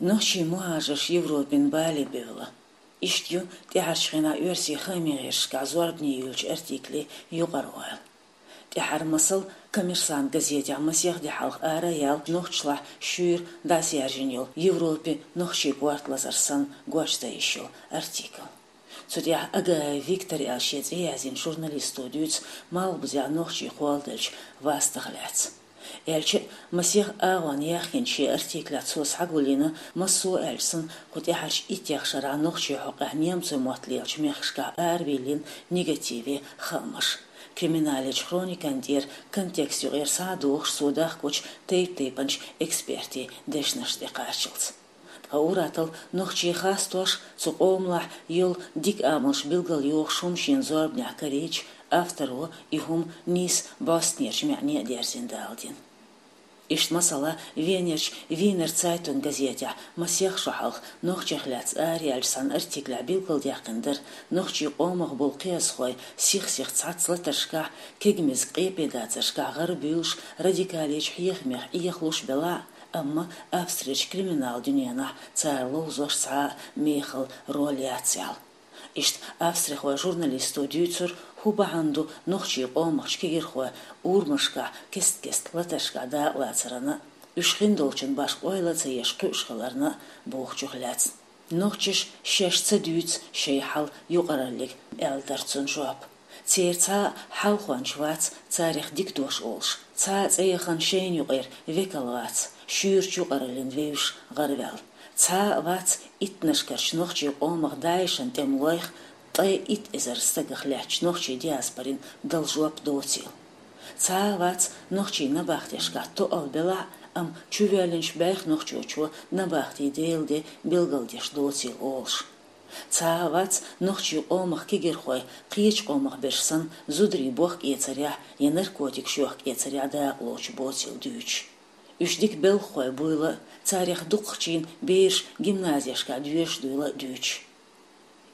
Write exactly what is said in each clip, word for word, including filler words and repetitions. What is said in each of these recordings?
Нохчий мухӀажарш Европин бале бевлла. Иштта ю тӀаьхьарчу хенахь оьрсийн хаамийн гӀирсашкахь зорбане йолчу артиклийн юкъара ойла. ТӀаьхьара масал «Коммерсант» газетехь масех де хьалха ара а яьлла, нохчашлахь шуьйра дӀасаяьржина йолу Европин нохчийн корта лазар санна гочдан йиш йолу артикл. Цу тӀехь Агаев Виктор аьлла шен цӀе яздина журналисто дуьйцу Малхбузехь нохчий кхолладеллачу вастах лаьцна. Аьлча а, масех агӀонна яьхкинчу шен артиклехь цо схьагулйина массо а аьлча санна кху тӀаьхьарчу иттех шарахь нохчийн хьокъехь немцойн мотт лелачу мехкашкахь аравиллина негативе хаамаш. Криминалан хроникан тӀера контекст юкъара схьа а дохуш, цо дахкочу тайп-тайпанчу экспертийн дешнаш тӀекхаччалц. Ткъа ур-атталла нохчий хастош, цу къомалахь йолу дика амалш билгалйохуш хӀума шена зорбанехь карийча, авторо и хӀума нийса бӀостанерчу маьӀне а дерзина даладина. Иштта масала Венерчу «Вийнер Цайтунг» газетехь масех шо хьалха нохчех лаьцна араяьллачу цхьана артиклехь билгалдаьккхина дара нохчийн къомах болу кхиазхой сих-сиха цхьацца латаршкахь, кегамаза къепедацаршкахь гӀарабуьйлуш, радикалечу хьехамех Ӏехалуш белахь а, амма Австрерчу криминалан дуьненахь цара ловзош цхьа а мехала роль яц аьлла. Иштта австрихойн журналисто дуьйцура, хӀун бахьана ду нохчийн къомахчу кегирхойн урамашкахь кест-кеста латаршкахь дакъалацарна а, уьш хиндолчун башха ойла а ца еш кхуьуш хиларна а бохучух лаьцна. Нохчаша шаьш ца дуьйцу шайн хьал юкъараллиг, аьлла дара цунна жоп. Церан цхьа а хьалхонча вац царах дика дош олуш, цхьа а цӀе яхана шайна юкъара векал вац, шуьйрачу юкъараллина вевзаш гӀараваьлла. Цхьа а вац иттаннашкарчу нохчийн къомах ДАИШан тӀемалойх ткъе итт эзар стагах лаьттачу нохчийн диаспорин дала жоп доцийла. Цхьа а вац нохчийн набахтешкахь тоъал белахь а, амма чувоьллинчу бӀех нохчочо набахтин Делан де билгалдеш доцийла олуш. Цхьа а вац нохчийн къомах кегирхой кхечу къомах берш санна зударийн бохкаэцарехь я наркотикаш йохкаэцарехь дакъалоцуш боцийла дуьйцуш. Уьш дика белхахой буйла а, царах дукхахчийн бераш гимназешкахь доьшуш дуйла а дуьйцуш.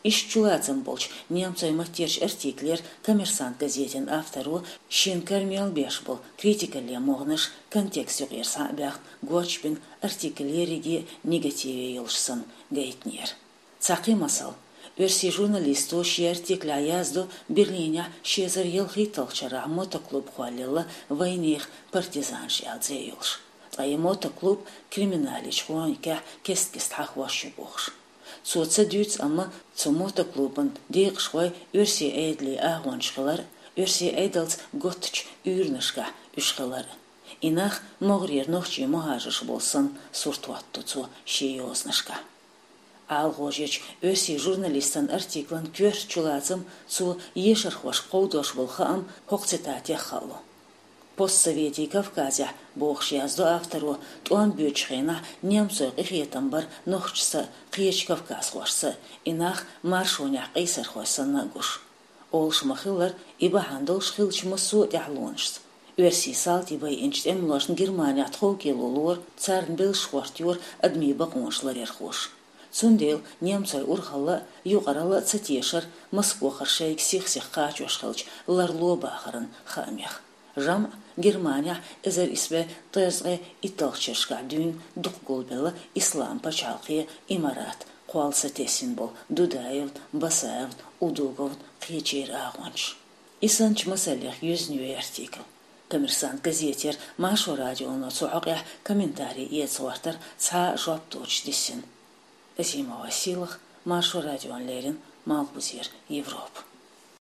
Иштта чулацам болчу немцойн маттерчу артиклера «Коммерсант» газетан авторо шен кара мел беш болу критикалле могӀанаш контекст юкъара схьа а баьхна гочбина, артикл ерриге а негативе йолуш санна гайтинера. Цхьа кхин масал. Оьрсийн журналисто шен артиклехь яздо Берлинехь ши эзар ялхитталгӀачу шарахь мотоклуб кхоллаелла «Вайнехан партизанаш» аьлла цӀе йолуш. Ткъа и мотоклуб криминалан хроникехь кест-кеста хьахош ю бохуш. Цо ца дуьйцу, амма цу мотоклубан декъашхой оьрсийн Ӏедалан агӀончаш хилар а, оьрсийн Ӏедалца готтачу уьйранашкахь уьш хилар а. И нах могӀарера нохчийн мухӀажарш болу санна сурт хӀоттадо цо шен йозанашкахь. ӀаламгӀожечу оьрсийн журналистан артиклан коьрта чулацам цо ешархошка кховдош болу хаам хӀокху цитатех хаало. «Постсоветийн Кавказехь», бохуш яздо авторо, тӀом боьдучу хенахь немцойн къинхетам бара нохчашца а, кхечу кавказхошца а, и нах маршонехь къийсархой санна а гуш. Олуш ма-хиллара, и бахьана долуш хиллачу массо а тӀаьхьалонашца. Оьрсийн салтий байинчу тӀемалошна Германехь тховкӀело лору, царна белшаш хӀоттайора адамийн бакъонаш ларъярхоша. Цундела немцойн урхалла а, юкъаралла а ца тешара Москохара шайга сих-сиха кхачош хиллачу ларло бахаран хаамех. ЖамӀ Германехь эзар исс бӀе ткъе итталгӀачу шерашкахь дуьйна дукха гулбелла Исламан пачхьалкхе, имарат, кхолла сатесна болу Дудаевн, Басаевн, Удуговн, кхечеран агӀончаш. И санначу масаллех юьзна ю и артикл. «Коммерсант» газетера Маршо радионо цу хьокъехь комментарий эца гӀортар цхьа а жоп доцуш диссина. Азимова Сийлаха, Маршо радиона леррина, Малхбузера Европа.